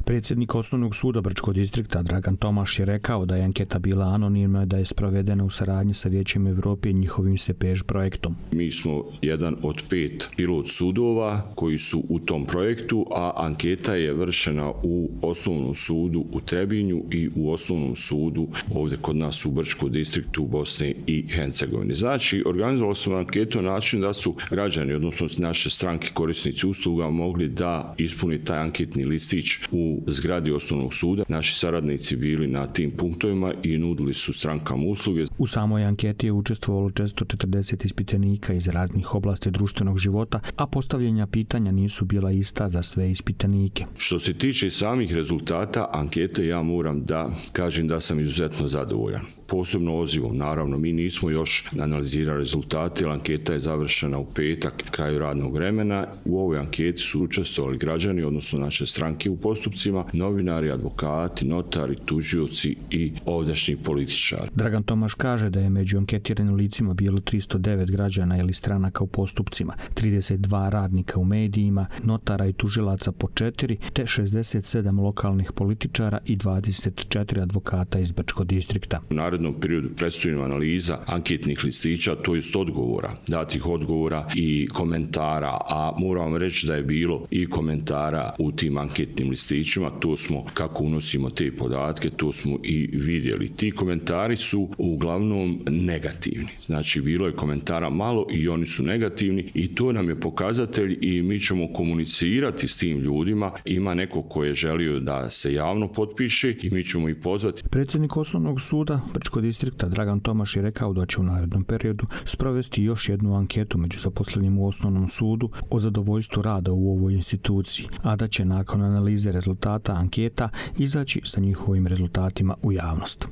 Predsjednik Osnovnog suda Brčkog distrikta Dragan Tomaš je rekao da je anketa bila anonimna i da je sprovedena u saradnji sa Vijećem Evrope i njihovim SEPEŽ projektom. Mi smo jedan od 5 pilot sudova koji su u tom projektu, a anketa je vršena u Osnovnom sudu u Trebinju i u Osnovnom sudu ovdje kod nas u Brčkom distriktu Bosne i Hercegovine. Znači, organizovali smo anketu na način da su građani, odnosno naše stranke korisnici usluga, mogli da ispuni taj anketni listić u zgradi Osnovnog suda. Naši saradnici bili na tim punktovima i nudili su strankama usluge. U samoj anketi je učestvovalo 440 ispitanika iz raznih oblasti društvenog života, a postavljanja pitanja nisu bila ista za sve ispitanike. Što se tiče samih rezultata ankete, ja moram da kažem da sam izuzetno zadovoljan. Posebno odzivom, naravno, mi nismo još analizirali rezultate, jer anketa je završena u petak, kraju radnog vremena. U ovoj anketi su učestvovali građani, odnosno naše stranke u postupcima, novinari, advokati, notari, tužioci i ovdašnji političari. Dragan Tomaš kaže da je među anketiranim licima bilo 309 građana ili stranaka u postupcima, 32 radnika u medijima, notara i tužilaca po 4, te 67 lokalnih političara i 24 advokata iz Brčkog distrikta. U narednom periodu predstoji analiza anketnih listića, to jest odgovora, datih odgovora i komentara, a moram reći da je bilo i komentara u tim anketnim listićima, to smo, kako unosimo te podatke, to smo i vidjeli. Ti komentari su uglavnom negativni. Znači, bilo je komentara malo i oni su negativni i to nam je pokazatelj i mi ćemo komunicirati s tim ljudima. Ima neko ko je želio da se javno potpiše i mi ćemo ih pozvati. Predsjednik Osnovnog suda Brčkog distrikta Dragan Tomaš je rekao da će u narednom periodu sprovesti još jednu anketu među zaposlenim u Osnovnom sudu o zadovoljstvu rada u ovoj instituciji, a da će nakon analize rezultata anketa izaći sa njihovim rezultatima u javnost.